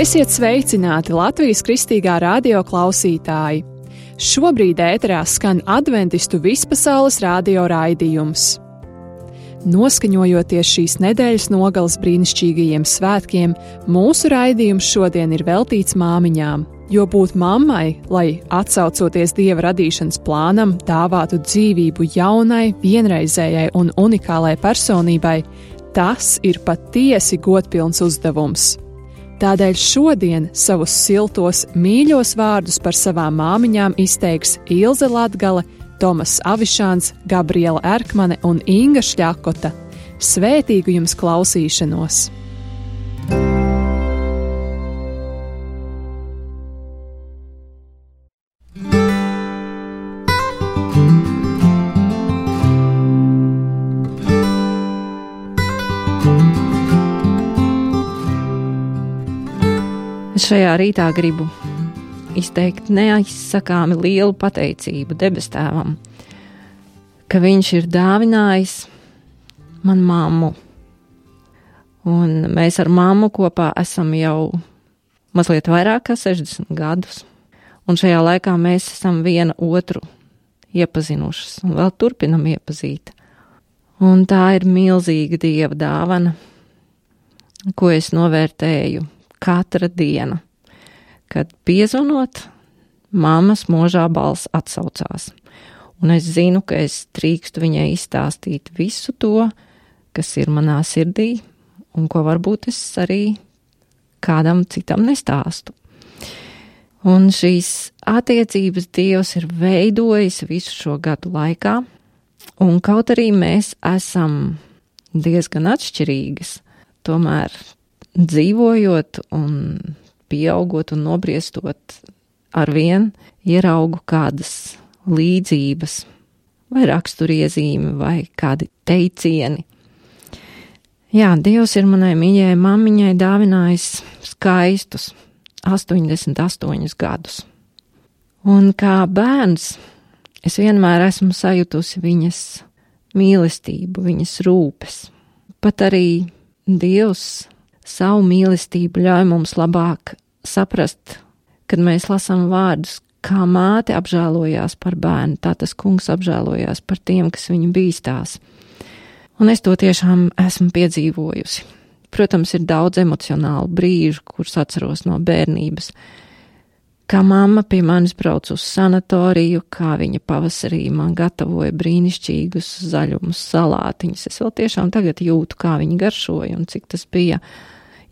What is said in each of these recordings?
Esiet sveicināti Latvijas Kristīgā radio klausītāji! Šobrīd ēterā skan adventistu vispasaules radio raidījums. Noskaņojoties šīs nedēļas nogales brīnišķīgajiem svētkiem, mūsu raidījums šodien ir veltīts māmiņām, jo būt mammai, lai atsaucoties Dieva radīšanas plānam, dāvātu dzīvību jaunai, vienreizējai un unikālai personībai, tas ir patiesi godpilns uzdevums. Tādēļ šodien savus siltos, mīļos vārdus par savām māmiņām izteiks Ilze Latgale, Tomas Avišāns, Gabriela Erkmane un Inga Šļakota. Svētīgu jums klausīšanos! Šajā rītā gribu izteikt neaizsakāmi lielu pateicību debes tēvam, ka viņš ir dāvinājis man mammu. Un mēs ar mammu kopā esam jau mazliet vairāk kā 60 gadus. Un šajā laikā mēs esam viena otru iepazinušas un vēl turpinam iepazīt. Un tā ir milzīga Dieva dāvana, ko es novērtēju katra diena, kad piezvanot, mammas mūžā balss atsaucās. Un es zinu, ka es drīkstu viņai izstāstīt visu to, kas ir manā sirdī, un ko varbūt es arī kādam citam nestāstu. Un šīs attiecības Dievs ir veidojis visu šo gadu laikā, un kaut arī mēs esam diezgan atšķirīgas, tomēr dzīvojot un pieaugot un nobriestot arvien, ieraugu kādas līdzības, vai raksturiezīmi, vai kādi teicieni. Jā, Dievs ir manai mīļajai mammiņai dāvinājis skaistus 88 gadus. Un kā bērns es vienmēr esmu sajutusi viņas mīlestību, viņas rūpes. Pat arī Dievs savu mīlestību ļauj mums labāk saprast, kad mēs lasām vārdus, kā māte apžēlojās par bērnu, tā tas kungs apžēlojās par tiem, kas viņu bīstās. Un es to tiešām esmu piedzīvojusi. Protams, ir daudz emocionālu brīžu, kurus atceros no bērnības. Kā mamma pie manis brauc uz sanatoriju, kā viņa pavasarī man gatavoja brīnišķīgus zaļumus salātiņus. Es vēl tiešām tagad jūtu, kā viņi garšoja un cik tas bija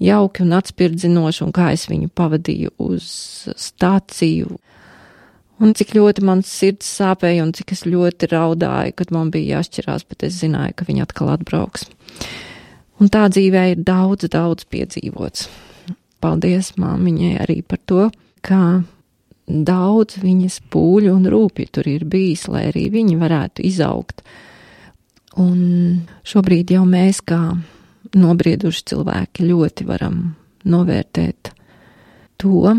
jauki un atspirdzinoši, un kā es viņu pavadīju uz stāciju. Un cik ļoti mans sirds sāpēja un cik es ļoti raudāju, kad man bija jāšķirās, bet es zināju, ka viņa atkal atbrauks. Un tā dzīvē ir daudz piedzīvots. Paldies māmiņai arī par to, kā daudz viņas pūļu un rūpju tur ir bijis, lai arī viņi varētu izaugt. Un šobrīd jau mēs kā nobrieduši cilvēki ļoti varam novērtēt to,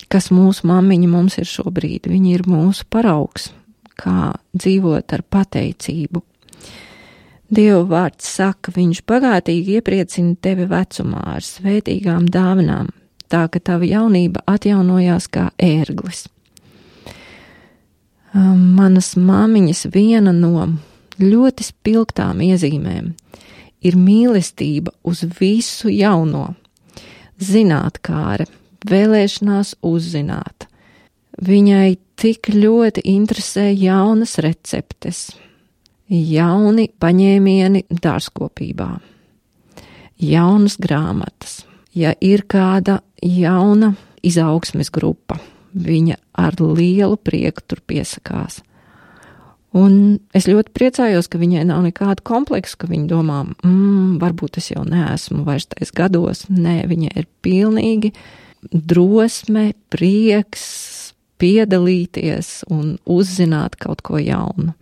kas mūsu mammiņa mums ir šobrīd. Viņi ir mūsu paraugs, kā dzīvot ar pateicību. Dieva vārds saka, viņš bagātīgi iepriecina tevi vecumā ar svētīgām dāvanām, tā ka tava jaunība atjaunojās kā ērglis. Manas māmiņas viena no ļoti spilgtām iezīmēm ir mīlestība uz visu jauno, zinātkāre, vēlēšanās uzzināt. Viņai tik ļoti interesē jaunas receptes, jauni paņēmieni dārzkopībā, jaunas grāmatas. Ja ir kāda jauna izaugsmes grupa, viņa ar lielu prieku tur piesakās. Un es ļoti priecājos, ka viņai nav nekādu kompleksu, ka viņa domā, varbūt es jau neesmu vairs tais gados. Nē, viņai ir pilnīgi drosme, prieks piedalīties un uzzināt kaut ko jaunu.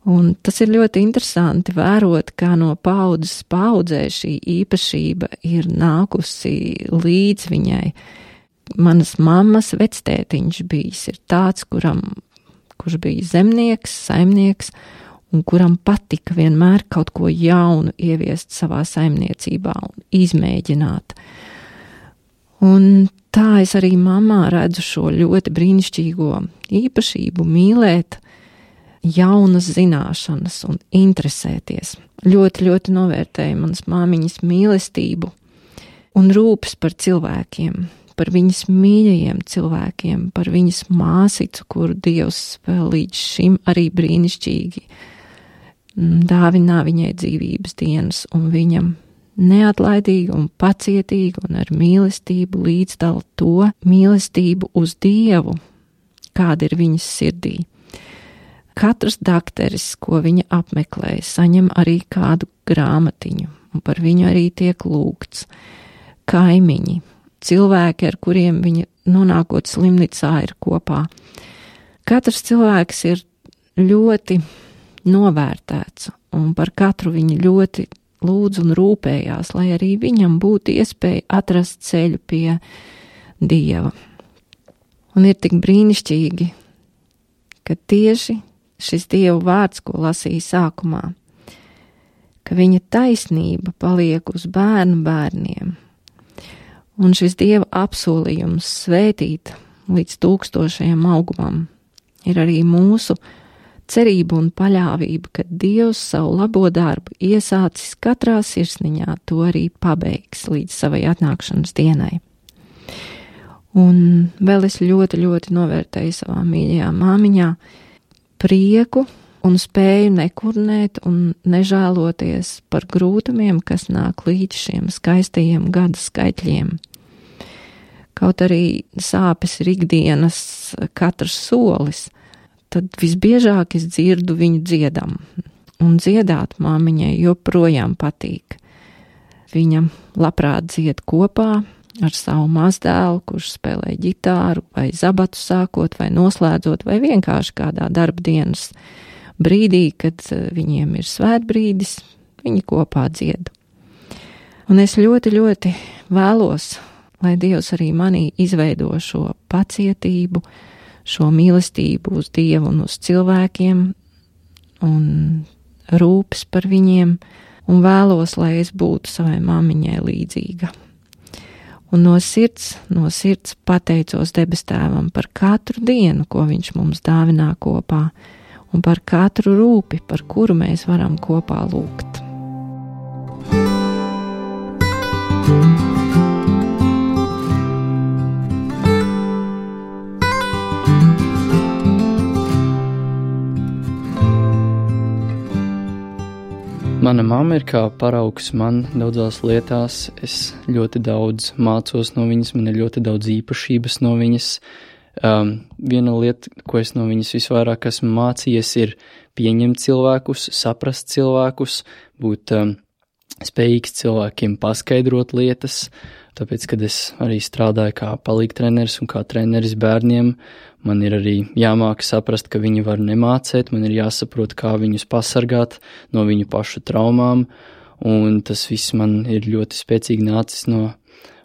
Un tas ir ļoti interesanti vērot, kā no paudzes paudzē šī īpašība ir nākusi līdz viņai. Manas mammas vectētiņš bijis ir tāds, kurš bija zemnieks, saimnieks, un kuram patika vienmēr kaut ko jaunu ieviest savā saimniecībā un izmēģināt. Un tā es arī mammā redzu šo ļoti brīnišķīgo īpašību mīlēt jaunas zināšanas un interesēties. Ļoti, ļoti novērtēju manas māmiņas mīlestību un rūpes par cilvēkiem, par viņas mīļajiem cilvēkiem, par viņas māsicu, kuru Dievs vēl līdz šim arī brīnišķīgi dāvinā viņai dzīvības dienas, un viņam neatlaidīgi un pacietīgi un ar mīlestību līdzdala to mīlestību uz Dievu, kāda ir viņas sirdī. Katrs dakteris, ko viņa apmeklē, saņem arī kādu grāmatiņu, un par viņu arī tiek lūgts. Kaimiņi, cilvēki, ar kuriem viņa nonākot slimnīcā ir kopā. Katrs cilvēks ir ļoti novērtēts, un par katru viņa ļoti lūdz un rūpējās, lai arī viņam būtu iespēja atrast ceļu pie Dieva. Un ir tik brīnišķīgi, ka tieši šis Dieva vārds, ko lasīja sākumā, ka viņa taisnība paliek uz bērnu bērniem. Un šis Dieva apsolījums svētīt līdz 1000 augumam ir arī mūsu cerība un paļāvība, ka Dievs savu labo darbu iesācis katrā sirsniņā, to arī pabeigs līdz savai atnākšanas dienai. Un vēl es ļoti, ļoti novērtēju savā mīļajā māmiņā prieku un spēju nekurnēt un nežēloties par grūtumiem, kas nāk līdz šiem skaistajiem gada skaitļiem. Kaut arī sāpes ir ikdienas katrs solis, tad visbiežāk es dzirdu viņu dziedam, un dziedāt māmiņai joprojām patīk. Viņa labprāt dzied kopā ar savu mazdēlu, kurš spēlē ģitāru vai zabatu sākot vai noslēdzot vai vienkārši kādā darba dienas brīdī, kad viņiem ir svētbrīdis, viņi kopā dzied. Un es ļoti, ļoti vēlos, lai Dievs arī manī izveido šo pacietību, šo mīlestību uz Dievu un uz cilvēkiem un rūpes par viņiem, un vēlos, lai es būtu savai māmiņai līdzīga. Un no sirds pateicos debes Tēvam par katru dienu, ko viņš mums dāvinā kopā, un par katru rūpi, par kuru mēs varam kopā lūgt. Mana mamma ir kā paraugs man daudzās lietās. Es ļoti daudz mācos no viņas, man ir ļoti daudz īpašības no viņas. Viena lieta, ko es no viņas visvairāk esmu mācījies, ir pieņemt cilvēkus, saprast cilvēkus, būt spējīgs cilvēkiem paskaidrot lietas. Tāpēc, kad es arī strādāju kā palīgtreneris un kā treneris bērniem, man ir arī jāmāk saprast, ka viņi var nemācēt, man ir jāsaprot, kā viņus pasargāt no viņu pašu traumām, un tas viss man ir ļoti spēcīgi nācis no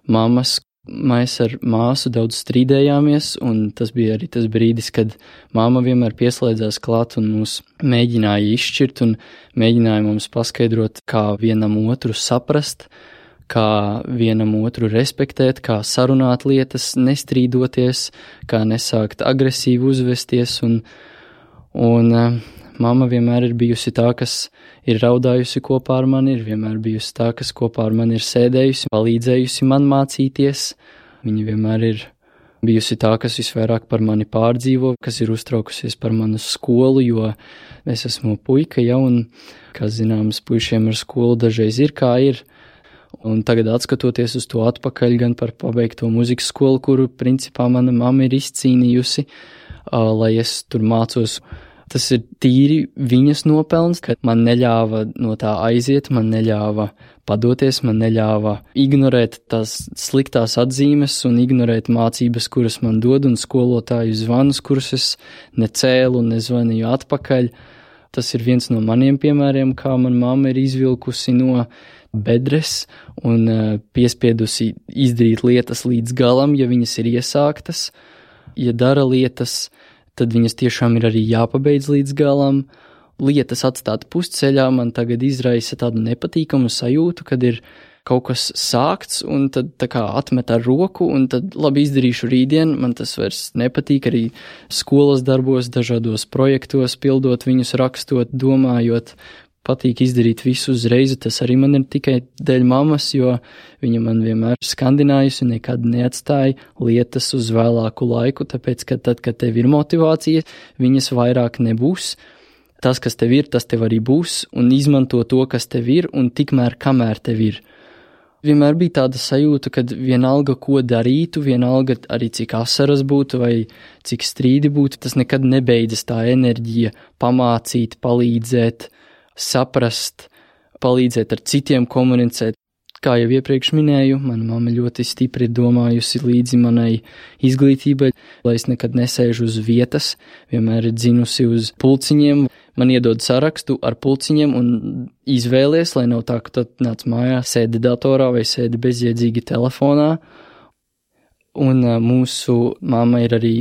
mammas. Mēs ar māsu daudz strīdējāmies, un tas bija arī tas brīdis, kad mamma vienmēr pieslēdzās klāt un mūs mēģināja izšķirt un mēģināja mums paskaidrot, kā vienam otru saprast, kā vienam otru respektēt, kā sarunāt lietas, nestrīdoties, kā nesākt agresīvi uzvesties, un mamma vienmēr ir bijusi tā, kas ir raudājusi kopā ar mani, ir vienmēr bijusi tā, kas kopā ar mani ir sēdējusi, palīdzējusi man mācīties. Viņa vienmēr ir bijusi tā, kas visvairāk par mani pārdzīvo, kas ir uztraukusies par manu skolu, jo es esmu puika, ja, un, kā zināms, puišiem ar skolu dažreiz ir kā ir. Un tagad atskatoties uz to atpakaļ gan par pabeigto muzikas skolu, kuru principā mana mamma ir izcīnījusi, lai es tur mācos. Tas ir tīri viņas nopelns, ka man neļāva no tā aiziet, man neļāva padoties, man neļāva ignorēt tās sliktās atzīmes un ignorēt mācības, kuras man dod, un skolotāju zvanus, kurus es necēlu un nezvanīju atpakaļ. Tas ir viens no maniem piemēriem, kā man mamma ir izvilkusi no bedres un piespiedusi izdarīt lietas līdz galam, ja viņas ir iesāktas. Ja dara lietas, tad viņas tiešām ir arī jāpabeidz līdz galam. Lietas atstāt pusceļā man tagad izraisa tādu nepatīkamu sajūtu, kad ir kaut kas sākts un tad tā kā atmet ar roku un tad labi izdarīšu rītdien, man tas vairs nepatīk arī skolas darbos, dažādos projektos, pildot viņus, rakstot, domājot. Patīk izdarīt visu uzreiz, tas arī man ir tikai dēļ mammas, jo viņa man vienmēr skandinājusi un nekad neatstāja lietas uz vēlāku laiku, tāpēc, ka tad, kad tev ir motivācija, viņas vairāk nebūs. Tas, kas tev ir, tas tev arī būs, un izmanto to, kas tev ir, un tikmēr, kamēr tev ir. Vienmēr bija tāda sajūta, kad vienalga, ko darītu, vienalga arī cik asaras būtu vai cik strīdi būtu, tas nekad nebeidzas tā enerģija pamācīt, palīdzēt, saprast, palīdzēt ar citiem komunicēt. Kā jau iepriekš minēju, mana mamma ļoti stipri domājusi līdzi manai izglītībai, lai es nekad nesēžu uz vietas, vienmēr ir dzinusi uz pulciņiem. Man iedod sarakstu ar pulciņiem un izvēlies, lai nav tā, ka tad nāc mājās, sēdi datorā vai sēdi bezjēdzīgi telefonā. Un mūsu mamma ir arī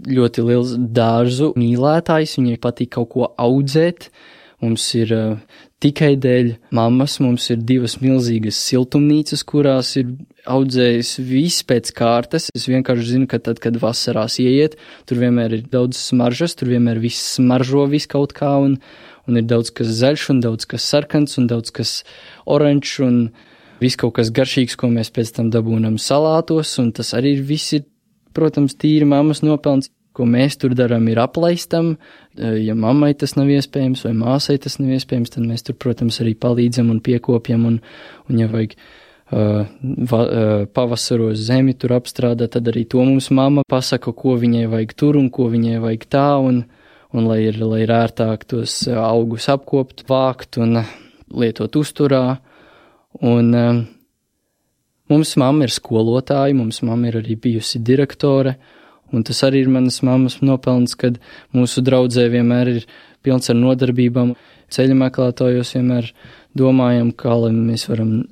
ļoti liels dārzu mīlētājs, viņai patīk kaut ko audzēt. Mums ir tikai dēļ mammas, mums ir 2 milzīgas siltumnīcas, kurās ir audzējis viss pēc kārtas. Es vienkārši zinu, ka tad, kad vasarās ieiet, tur vienmēr ir daudz smaržas, tur vienmēr viss smaržo viss kaut kā, un ir daudz kas zaļš, un daudz kas sarkans, un daudz kas oranžs, un viss kaut kas garšīgs, ko mēs pēc tam dabūnam salātos, un tas arī viss ir, protams, tīri mammas nopelns. Ko mēs tur darām, ir aplaistam. Ja mammai tas nav iespējams vai māsai tas nav iespējams, tad mēs tur, protams, arī palīdzam un piekopjam. Un ja vajag pavasaros zemi tur apstrādāt, tad arī to mums mamma pasaka, ko viņai vajag tur un ko viņai vajag tā. Un lai ir ērtāk tos augus apkopt, vākt un lietot uzturā. Un mums mamma ir skolotāja, mums mamma ir arī bijusi direktore. Un tas arī ir manas mammas nopelns, kad mūsu draudzē vienmēr ir pilns ar nodarbībām. Ceļa meklētājos vienmēr domājam, kā lai mēs varam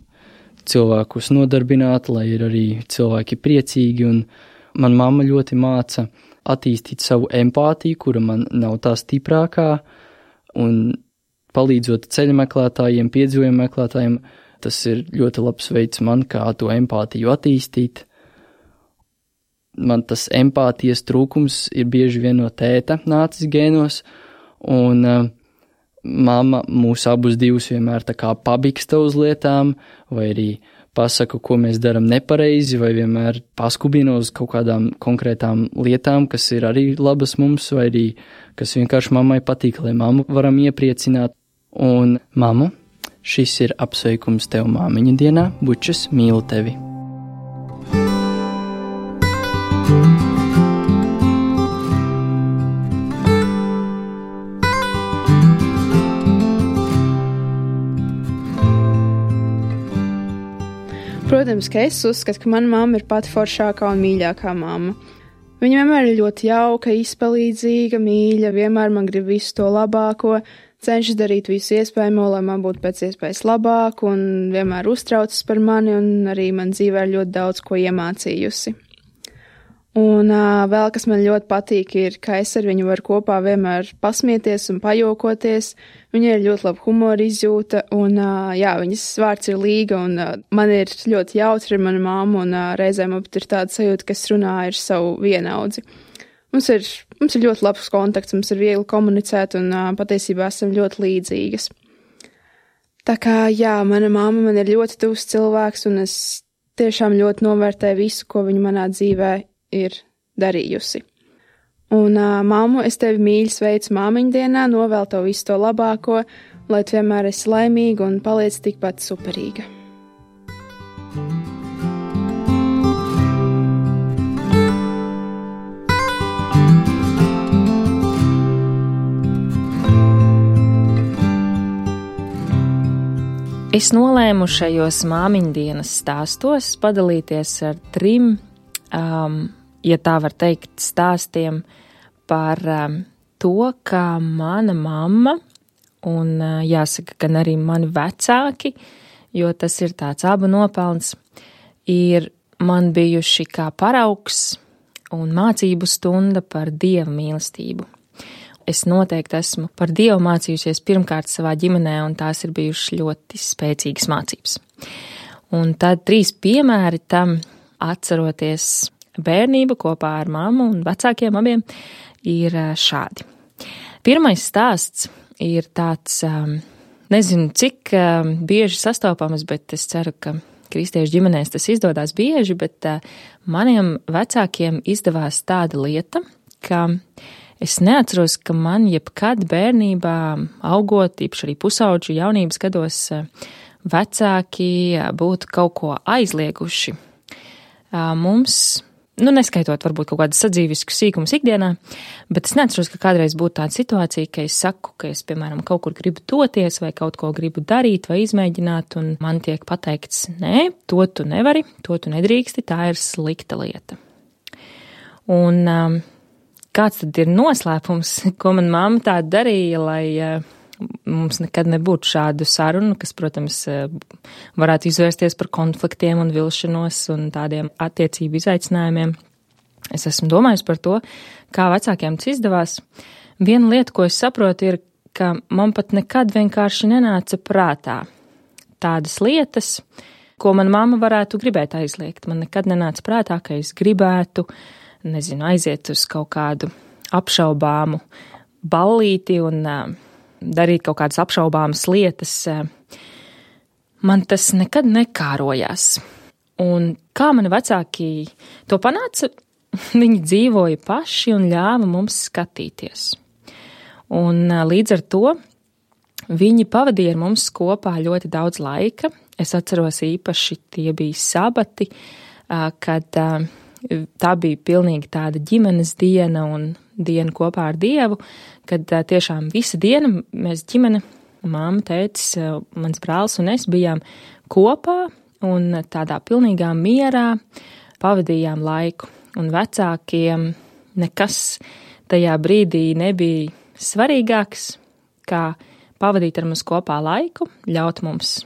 cilvēkus nodarbināt, lai ir arī cilvēki priecīgi. Un man mamma ļoti māca attīstīt savu empātiju, kura man nav tā stiprākā. Un palīdzot ceļa meklētājiem, piedzīvojumu meklētājiem, tas ir ļoti labs veids man, kā to empātiju attīstīt. Man tas empātijas trūkums ir bieži vien no tēta nācis gēnos, un mamma mūs abus divus vienmēr tā kā pabiksta uz lietām, vai arī pasaka, ko mēs daram nepareizi, vai vienmēr paskubina uz kaut kādām konkrētām lietām, kas ir arī labas mums, vai arī kas vienkārši mammai patīk, lai mammu varam iepriecināt. Un mammu, šis ir apsveikums tev māmiņa dienā, bučas, mīlu tevi! Protams, ka es uzskatu, ka mana mamma ir pati foršākā un mīļākā mamma. Viņa vienmēr ir ļoti jauka, izpalīdzīga, mīļa, vienmēr man grib visu to labāko, cenšas darīt visu iespējamo, lai man būtu pēc iespējas labāk, un vienmēr uztraucas par mani, un arī man dzīvē ir ļoti daudz ko iemācījusi. Un vēl, kas man ļoti patīk, ir, ka es ar viņu varu kopā vienmēr pasmieties un pajokoties. Viņai ir ļoti laba humora izjūta, un viņas vārds ir Līga, un man ir ļoti jautri ar manu māmu, un reizēm man ir tāda sajūta, ka es runāju ar savu vienaudzi. Mums ir ļoti labs kontakts, mums ir viegli komunicēt, un patiesībā esam ļoti līdzīgas. Tā kā, mana mamma man ir ļoti tuvs cilvēks, un es tiešām ļoti novērtēju visu, ko viņa manā dzīvē ir darījusi. Un, mammu, es tevi mīļi sveicu māmiņu dienā, novēlu tev visu to labāko, lai tu vienmēr esi laimīga un paliec tikpat superīga. Es nolēmu šajos māmiņu dienas stāstos padalīties ar 3 ja tā var teikt, stāstiem par to, kā mana mamma un jāsaka, gan arī mani vecāki, jo tas ir tāds abu nopelns, ir man bijuši kā paraugs un mācību stunda par Dieva mīlestību. Es noteikti esmu par Dievu mācījusies pirmkārt savā ģimenē, un tās ir bijušas ļoti spēcīgas mācības. Un tad 3 piemēri tam, atceroties bērnību kopā ar mammu un vecākiem abiem, ir šādi. Pirmais stāsts ir tāds, nezinu, cik bieži sastopams, bet es ceru, ka kristiešu ģimenēs tas izdodas bieži, bet maniem vecākiem izdevās tāda lieta, ka es neatceros, ka man jebkad bērnībā augot, īpaši arī pusauģu jaunības gados, vecāki būtu kaut ko aizlieguši. Mums, neskaitot varbūt kaut kādas sadzīviskas sīkumus ikdienā, bet es neatceros, ka kādreiz būtu tāda situācija, ka es saku, ka es, piemēram, kaut kur gribu doties vai kaut ko gribu darīt vai izmēģināt, un man tiek pateikts, nē, to tu nevari, to tu nedrīksti, tā ir slikta lieta. Un kāds tad ir noslēpums, ko man mamma tā darīja, lai mums nekad nebūtu šādu sarunu, kas, protams, varētu izvērsties par konfliktiem un vilšanos un tādiem attiecību izaicinājumiem. Es esmu domājusi par to, kā vecākiem tas izdevās. Viena lieta, ko es saprotu, ir, ka man pat nekad vienkārši nenāca prātā tādas lietas, ko man mamma varētu gribēt aizliegt. Man nekad nenāca prātā, ka es gribētu, aiziet uz kaut kādu apšaubāmu ballīti un darīt kaut kādas apšaubāmas lietas. Man tas nekad nekārojās. Un kā mani vecāki to panāca, viņi dzīvoja paši un ļāva mums skatīties. Un līdz ar to viņi pavadīja ar mums kopā ļoti daudz laika. Es atceros īpaši tie bija sabati, kad tā bija pilnīgi tāda ģimenes diena un diena kopā ar Dievu, kad tiešām visa diena mēs ģimene, mamma, tētis, mans brālis un es bijām kopā un tādā pilnīgā mierā pavadījām laiku. Un vecākiem nekas tajā brīdī nebija svarīgāks, kā pavadīt ar mums kopā laiku, ļaut mums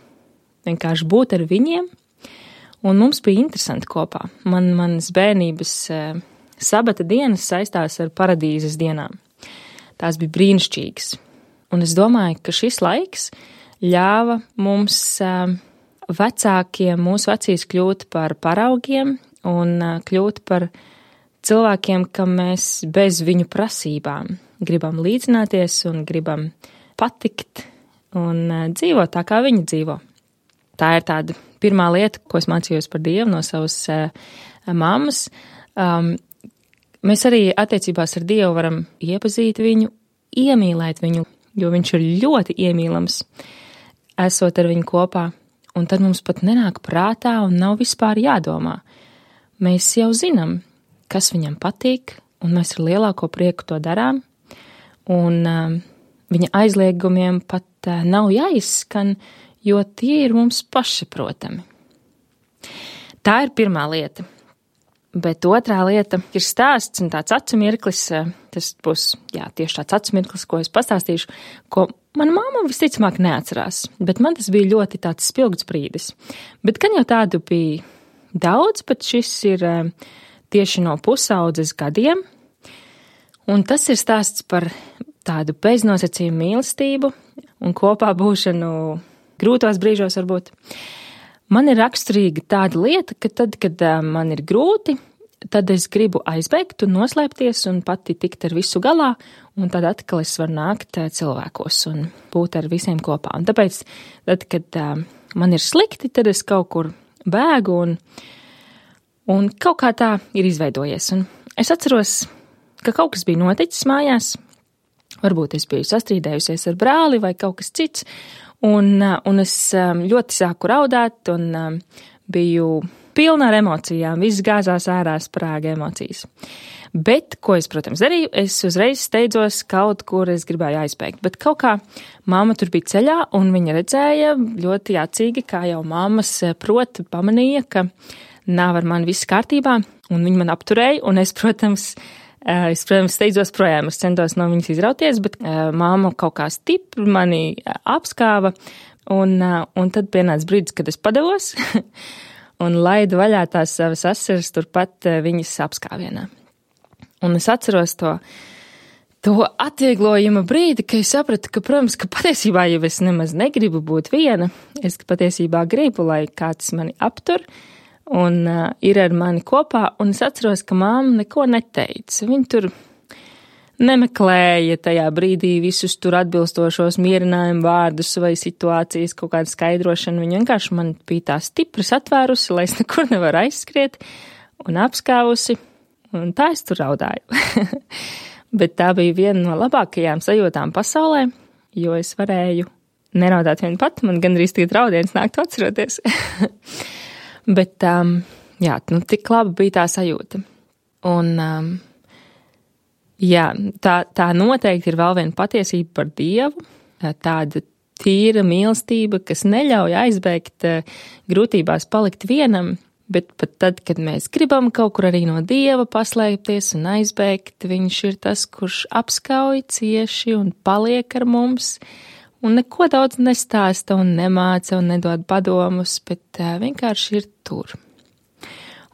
vienkārši būt ar viņiem, un mums bija interesanti kopā. Manas bērnības sabata dienas saistās ar paradīzes dienām. Tās bija brīnišķīgas. Un es domāju, ka šis laiks ļāva mums vecākiem, mūsu vecīs kļūt par paraugiem un kļūt par cilvēkiem, kam mēs bez viņu prasībām gribam līdzināties un gribam patikt un dzīvot tā, kā viņi dzīvo. Tā ir tāda pirmā lieta, ko es mācījos par Dievu no savas mammas. Mēs arī attiecībās ar Dievu varam iepazīt viņu, iemīlēt viņu, jo viņš ir ļoti iemīlams, esot ar viņu kopā, un tad mums pat nenāk prātā un nav vispār jādomā. Mēs jau zinām, kas viņam patīk, un mēs ar lielāko prieku to darām, un viņa aizliegumiem pat nav jāizskan, jo tie ir mums pašsaprotami. Tā ir pirmā lieta. Bet otrā lieta ir stāsts un tāds acu mirklis, tas būs, tieši tāds acu mirklis, ko es pastāstīšu, ko mana mamma visticamāk neatcerās, bet man tas bija ļoti tāds spilgts brīdis. Bet gan jau tādu bija daudz, bet šis ir tieši no pusaudzes gadiem, un tas ir stāsts par tādu beznosacījumu mīlestību un kopā būšanu grūtos brīžos varbūt. Man ir raksturīga tāda lieta, ka tad, kad man ir grūti, tad es gribu aizbēgt un noslēpties un pati tikt ar visu galā, un tad atkal es varu nākt cilvēkos un būt ar visiem kopā. Un tāpēc, tad, kad man ir slikti, tad es kaut kur bēgu un kaut kā tā ir izveidojies. Un es atceros, ka kaut kas bija noticis mājās, varbūt es biju sastrīdējusies ar brāli vai kaut kas cits, un es ļoti sāku raudāt un biju pilna ar emocijām, viss gāzās ārā, sprāga emocijas. Bet, ko es, protams, darīju, es uzreiz steidzos kaut kur, es gribēju aizbēgt, bet kaut kā mamma tur bija ceļā, un viņa redzēja ļoti acīgi, kā jau mammas proti pamanīja, ka nav ar mani viss kārtībā, un viņa man apturēja, un es, protams, steidzos projām, es centos no viņas izrauties, bet mamma kaut kā stipri mani apskāva, un tad pienāca brīdis, kad es padevos un laidu vaļā tās savas asaras turpat viņas apskāvienā. Un es atceros to to atvieglojuma brīdi, ka es sapratu, ka, protams, ka patiesībā jau es nemaz negribu būt viena. Es patiesībā gribu, lai kāds mani aptur un ir ar mani kopā, un es atceros, ka mamma neko neteica. Viņa tur nemeklēja tajā brīdī visus tur atbilstošos mierinājumu vārdus vai situācijas kaut kādu skaidrošanu. Viņa vienkārši man bija tā stipras atvērusi, lai es nekur nevaru aizskriet un apskāvusi, un tā es tur raudāju. Bet tā bija viena no labākajām sajūtām pasaulē, jo es varēju neraudāt vien pat, man gandrīz tagad raudiens nāktu atceroties. Bet, jā, tik laba bija tā sajūta. Un, jā, tā noteikti ir vēl viena patiesība par Dievu, tāda tīra mīlestība, kas neļauj aizbēgt grūtībās palikt vienam, bet pat tad, kad mēs gribam kaut kur arī no Dieva paslēpties un aizbēgt, viņš ir tas, kurš apskauj cieši un paliek ar mums, un neko daudz nestāsta un nemāca un nedod padomus, bet vienkārši ir tur.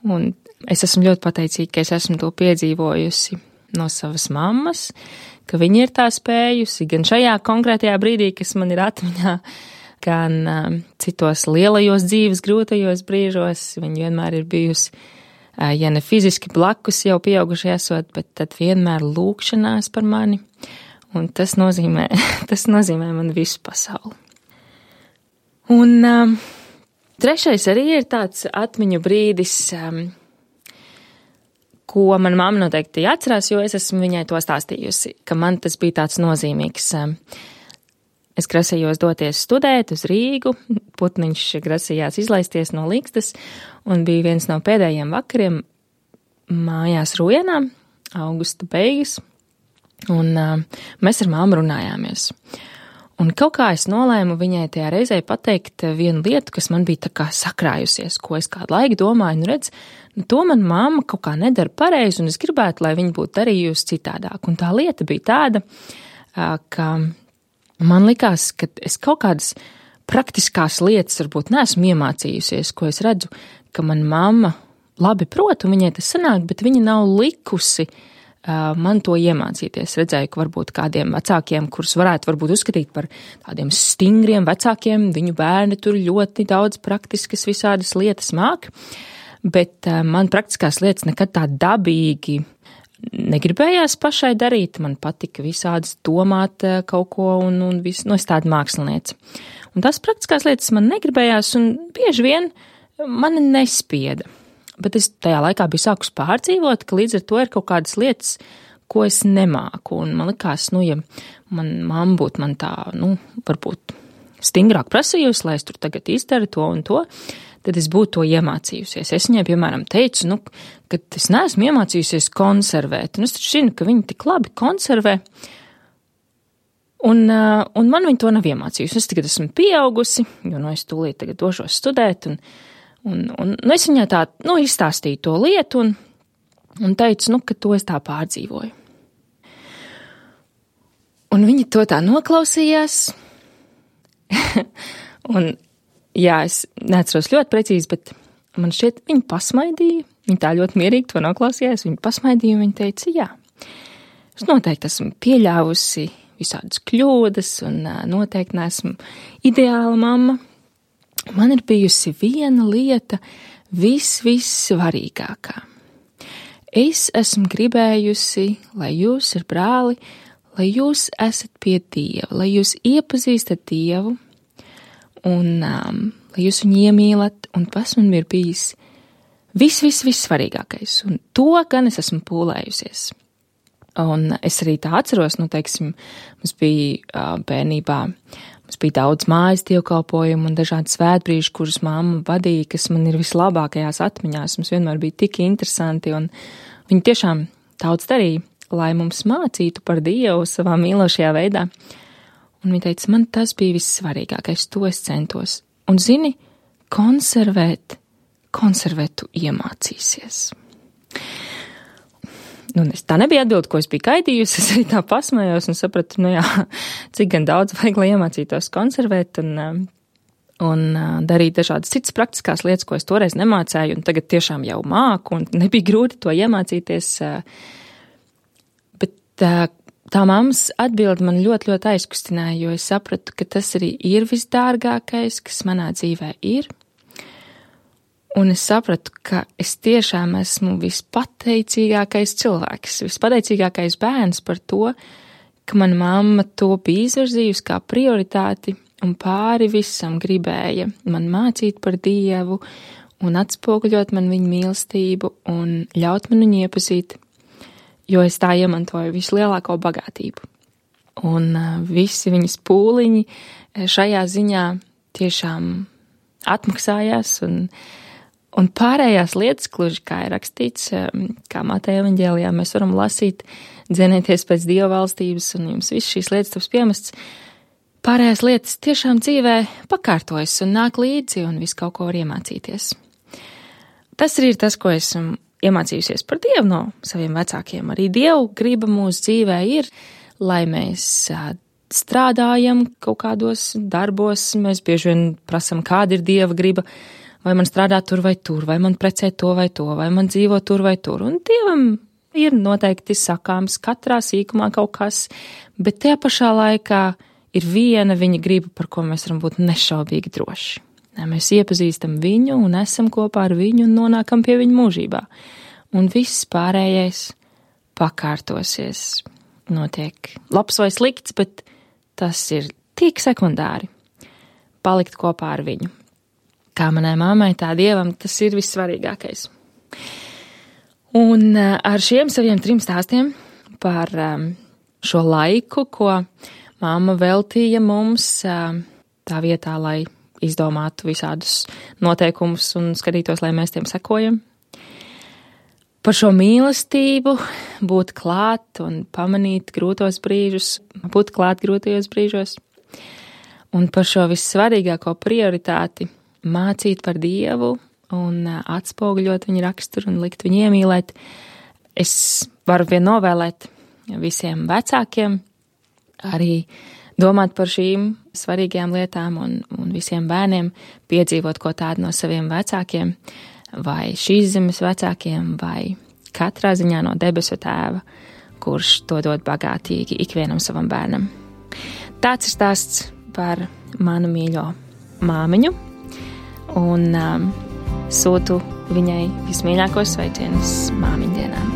Un es esmu ļoti pateicīga, ka es esmu to piedzīvojusi no savas mammas, ka viņa ir tā spējusi, gan šajā konkrētajā brīdī, kas man ir atmiņā, gan citos lielajos dzīves grūtajos brīžos. Viņa vienmēr ir bijusi, ja ne fiziski blakus jau pieauguši esot, bet tad vienmēr lūkšanās par mani. Un tas nozīmē man visu pasauli. Un trešais arī ir tāds atmiņu brīdis, ko man mamma noteikti atcerās, jo es esmu viņai to stāstījusi, ka man tas bija tāds nozīmīgs. Es grasījos doties studēt uz Rīgu, putniņš grasījās izlaisties no Līgstas, un bija viens no pēdējiem vakariem mājās Rujenā, augusta beigas, un mēs ar mammu runājāmies. Un kaut kā es nolēmu viņai tajā reizē pateikt vienu lietu, kas man bija tā kā sakrājusies, ko es kādu laiku domāju, redz, to man mamma kaut kā nedara pareizi, un es gribētu, lai viņa būtu darījusi citādāk. Un tā lieta bija tāda, ka man likās, ka es kaut kādas praktiskās lietas varbūt neesmu iemācījusies, ko es redzu, ka man mamma labi prot, un viņai tas sanāk, bet viņa nav likusi man to iemācīties. Redzēju, ka varbūt kādiem vecākiem, kurus varētu varbūt uzskatīt par tādiem stingriem vecākiem, viņu bērni tur ļoti daudz praktiskas visādas lietas māk, bet man praktiskās lietas nekad tā dabīgi negribējās pašai darīt, man patika visādas domāt kaut ko un visu, es tāda māksliniece. Un tās praktiskās lietas man negribējās un bieži vien mani nespieda. Bet es tajā laikā biju sākus pārdzīvot, ka līdz ar to ir kaut kādas lietas, ko es nemāku. Un man likās, ja man mamma būtu man tā, varbūt stingrāk prasījusi, lai es tur tagad izdaru to un to, tad es būtu to iemācījusies. Es viņai, piemēram, teicu, ka es neesmu iemācījusies konservēt. Un es taču zinu, ka viņi tik labi konservē. Un man viņa to nav iemācījusi. Es tagad esmu pieaugusi, jo es tūlīt tagad došos studēt. Un es viņai tā, izstāstīju to lietu un teicu, ka to es tā pārdzīvoju. Un viņa to tā noklausījās. Un jā, es neatceros ļoti precīzi, bet man šķiet, viņa pasmaidīja. Viņa tā ļoti mierīgi to noklausījās. Viņa pasmaidīja un viņa teica, jā, es noteikti esmu pieļāvusi visādas kļūdas un noteikti neesmu ideāla mamma. Man ir bijusi viena lieta vissvarīgākā. Es esmu gribējusi, lai jūs ar brāli, lai jūs esat pie Dieva, lai jūs iepazīstat Dievu, un lai jūs viņu iemīlat, un tas man ir bijis vissvarīgākais, un to gan es esmu pūlējusies. Un es arī tā atceros, mums bija bērnībā, mums bija daudz mājas dievkalpojumu un dažādi svētbrīži, kurus mamma vadīja, kas man ir vislabākajās atmiņās. Mums vienmēr bija tik interesanti, un viņi tiešām daudz darīja, lai mums mācītu par Dievu savā mīlošajā veidā. Un viņa teica, man tas bija vissvarīgākais, to es centos. Un zini, konservēt tu iemācīsies. Tā nebija atbilde, ko es biju gaidījusi, es arī tā pasmējos un sapratu, cik gan daudz vajag, lai iemācītos konservēt un darīt dažādas citas praktiskās lietas, ko es toreiz nemācēju, un tagad tiešām jau māku, un nebija grūti to iemācīties. Bet tā mammas atbilde man ļoti, ļoti aizkustināja, jo es sapratu, ka tas arī ir visdārgākais, kas manā dzīvē ir. Un es sapratu, ka es tiešām esmu vispateicīgākais cilvēks, vispateicīgākais bērns par to, ka mana mamma to bija izvirzījusi kā prioritāti un pāri visam gribēja man mācīt par Dievu un atspoguļot man viņa mīlestību un ļaut man viņu iepazīt, jo es tā iemantoju vislielāko bagātību. Un visi viņas pūliņi šajā ziņā tiešām atmaksājās un pārējās lietas, gluži kā ir rakstīts, kā Mateja evaņģēlijā mēs varam lasīt, dzenieties pēc Dieva valstības un jums viss šīs lietas taps piemests. Pārējās lietas tiešām dzīvē pakārtojas un nāk līdzi un visu kaut ko var iemācīties. Tas arī ir tas, ko esmu iemācījusies par Dievu no saviem vecākiem. Arī Dievu griba mūsu dzīvē ir, lai mēs strādājam kaut kādos darbos, mēs bieži vien prasam, kāda ir Dieva griba, vai man strādā tur vai tur, vai man precē to vai to, vai man dzīvo tur vai tur. Un Dievam ir noteikti sakāms katrā sīkumā kaut kas, bet tajā pašā laikā ir viena viņa griba, par ko mēs varam būt nešaubīgi droši. Mēs iepazīstam viņu un esam kopā ar viņu un nonākam pie viņa mūžībā. Un viss pārējais pakārtosies. Notiek labs vai slikts, bet tas ir tik sekundāri. Palikt kopā ar viņu. Kā manai mammai, tā Dievam, tas ir vissvarīgākais. Un ar šiem saviem 3 stāstiem par šo laiku, ko mamma veltīja mums tā vietā, lai izdomātu visādus noteikumus un skatītos, lai mēs tiem sekojam. Par šo mīlestību, būt klāt un pamanīt grūtos brīžus, būt klāt grūtajos brīžos. Un par šo vissvarīgāko prioritāti mācīt par Dievu un atspoguļot viņa raksturu un likt viņu iemīlēt. Es varu vien novēlēt visiem vecākiem arī domāt par šīm svarīgajām lietām un visiem bērniem piedzīvot ko tādu no saviem vecākiem, vai šīs zemes vecākiem, vai katrā ziņā no debesu tēva, kurš to dod bagātīgi ikvienam savam bērnam. Tāds ir stāsts par manu mīļo māmiņu, un sūtu viņai vismīļākos sveicienus māmiņdienām.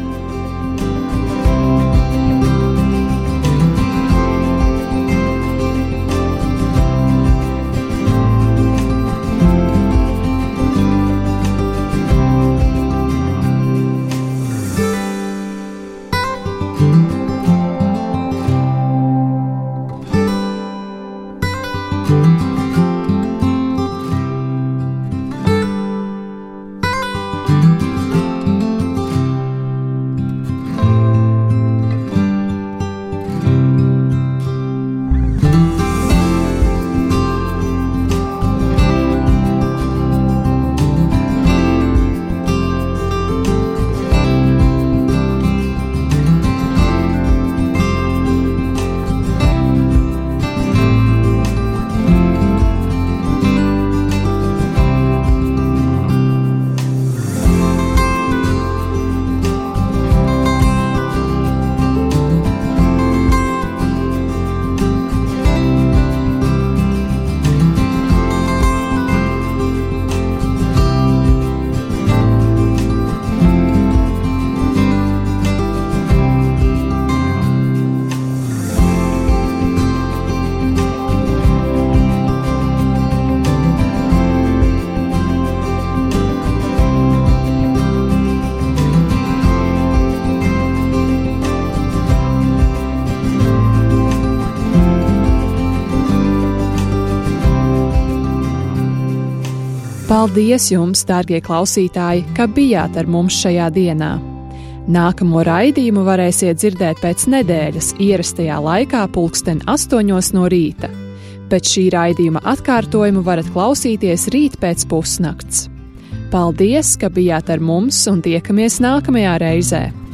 Paldies jums, dārgie klausītāji, ka bijāt ar mums šajā dienā. Nākamo raidījumu varēsiet dzirdēt pēc nedēļas ierastajā laikā 8:00 no rīta. Pēc šī raidījuma atkārtojumu varat klausīties rīt pēc pusnakts. Paldies, ka bijāt ar mums un tiekamies nākamajā reizē!